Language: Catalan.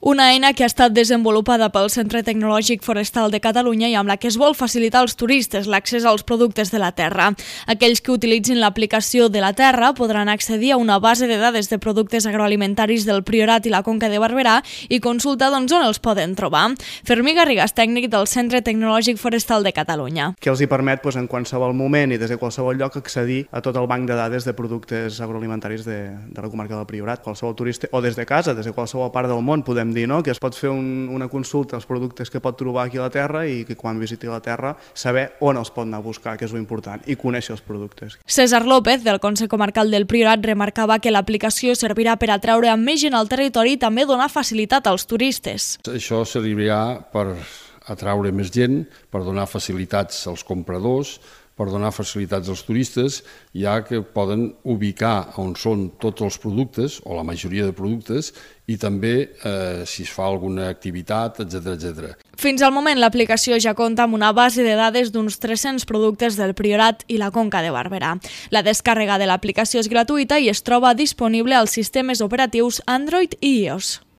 Una eina que ha estat desenvolupada pel Centre Tecnològic Forestal de Catalunya i amb la que es vol facilitar als turistes l'accés als productes de la terra. Aquells que utilitzin l'aplicació de la Terra podran accedir a una base de dades de productes agroalimentaris del Priorat i la Conca de Barberà i consultar on els poden trobar. Fermí Garrigas, tècnic del Centre Tecnològic Forestal de Catalunya. Que els hi permet en qualsevol moment i des de qualsevol lloc accedir a tot el banc de dades de productes agroalimentaris de la comarca del Priorat. Qualsevol turista, o des de casa, des de qualsevol part del món, podem dir, no?, que es pot fer una consulta als productes que pot trobar aquí a la terra i que quan visiti la terra saber on els pot anar a buscar, que és l'important, i conèixer els productes. César López, del Consell Comarcal del Priorat, remarcava que l'aplicació servirà per atraure més gent al territori i també donar facilitat als turistes. Això servirà per atraure més gent, per donar facilitats als compradors, per donar facilitats als turistes, ja que poden ubicar on són tots els productes, o la majoria de productes, i també si es fa alguna activitat, etc. Fins al moment, l'aplicació ja compta amb una base de dades d'uns 300 productes del Priorat i la Conca de Barberà. La descàrrega de l'aplicació és gratuïta i es troba disponible als sistemes operatius Android i iOS.